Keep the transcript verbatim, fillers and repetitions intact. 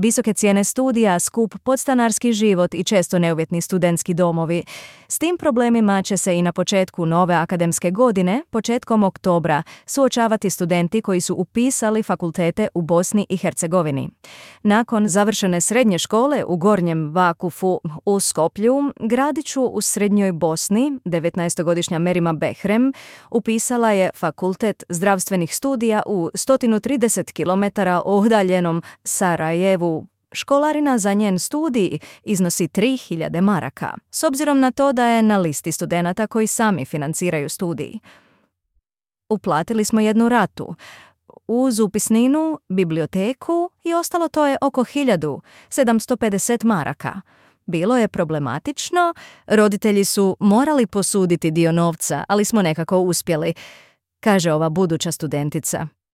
Visoke cijene studija, skup podstanarski život i često neuvjetni studentski domovi. S tim problemima će se i na početku nove akademske godine, početkom oktobra, suočavati studenti koji su upisali fakultete u Bosni i Hercegovini. Nakon završene srednje škole u Gornjem Vakufu u Skoplju, gradiću u srednjoj Bosni, devetnaestogodišnja Merima Behrem upisala je fakultet zdravstvenih studija u sto trideset kilometara udaljenom Sarajevu. Školarina za njen studij iznosi tri hiljade maraka, s obzirom na to da je na listi studenata koji sami financiraju studij. Uplatili smo jednu ratu. Uz upisninu, biblioteku i ostalo to je oko hiljadu sedamsto pedeset maraka. Bilo je problematično, roditelji su morali posuditi dio novca, ali smo nekako uspjeli, kaže ova buduća studentica.